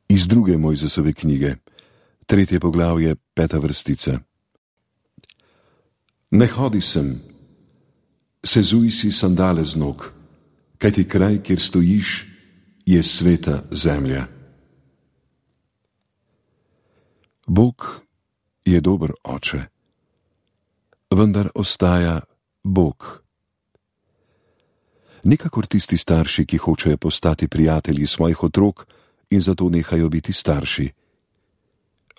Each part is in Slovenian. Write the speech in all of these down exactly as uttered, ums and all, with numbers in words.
Iz druge Mojzesove knjige, tretje poglavje, peta vrstica. Ne hodi sem, sezuj si sandale z nog, kajti kraj, kjer stojiš, je sveta zemlja. Bog je dober oče, vendar ostaja Bog. Nikakor tisti starši, ki hočejo postati prijatelji svojih otrok in zato nehajo biti starši.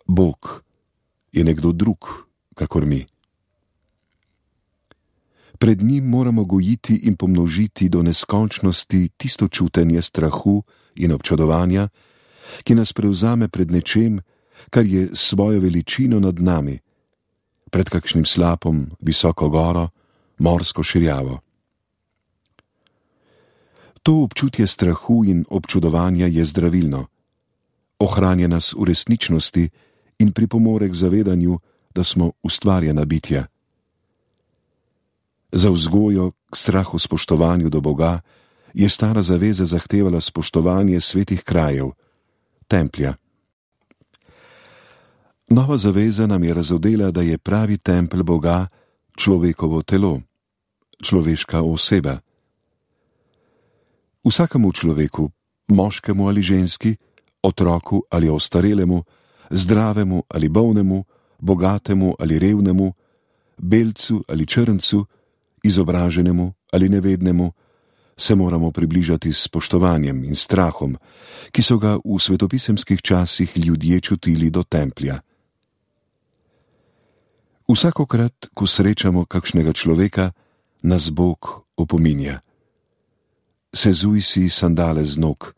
Bog je nekdo drug, kakor mi. Pred njim moramo gojiti in pomnožiti do neskončnosti tisto čutenje strahu in občudovanja, ki nas prevzame pred nečem, kar je svojo veličino nad nami, pred kakšnim slapom, visoko goro, morsko širjavo. To občutje strahu in občudovanja je zdravilno, ohranja nas v resničnosti in pripomore k zavedanju, da smo ustvarjena bitja. Za vzgojo k strahu spoštovanju do Boga je stara zaveza zahtevala spoštovanje svetih krajev, templja. Nova zaveza nam je razodela, da je pravi tempelj Boga človekovo telo, človeška oseba. Vsakemu človeku, moškemu ali ženski, otroku ali ostarelemu, zdravemu ali bolnemu, bogatemu ali revnemu, belcu ali črncu, izobraženemu ali nevednemu, se moramo približati s spoštovanjem in strahom, ki so ga v svetopisemskih časih ljudje čutili do templja. Vsakokrat, ko srečamo kakšnega človeka, nas Bog opominja. Sezuj si sandale z nog,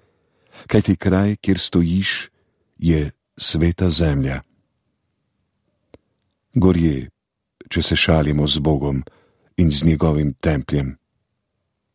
kajti kraj, kjer stojiš, je sveta zemlja. Gorje, če se šalimo z Bogom in z njegovim templjem.